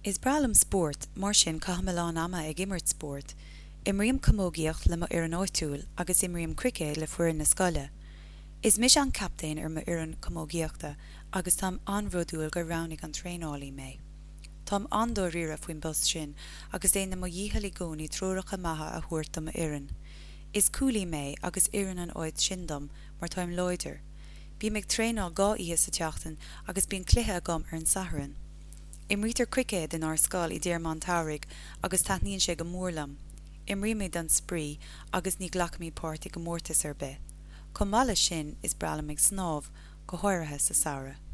Is breá liom spórt, mar sin caithim a lán ama ag imirt spóirt. Imrím camógaíocht le mo fhoireann áitiúil agus imrím cruicéad le foireann na scoile. Is mise an captaen ar m'fhoireann camógaíochta agus táim an-bhródúil gur roghnaigh an traenálaí mé. Táim an-dáiríre faoin bpost sin agus déanaim mo dhícheall i gcónaí treoracha maithe a thabhairt do m'fhoireann. Is cúlaí mé agus oireann an áit sin dom mar táim láidir. Bím ag traenáil 2 oíche sa tseachtain agus bíonn cluiche agam ar an Satharn. Imrítear cruicéad inár scoil i dtéarma an tsamhraidh agus taitníonn sé go mór liom. Imrímid don spraoi agus ní ghlacaimid páirt i gcomórtas ar bith. Chomh maith leis sin, is breá liom ag snámh, go háirithe sa samhradh.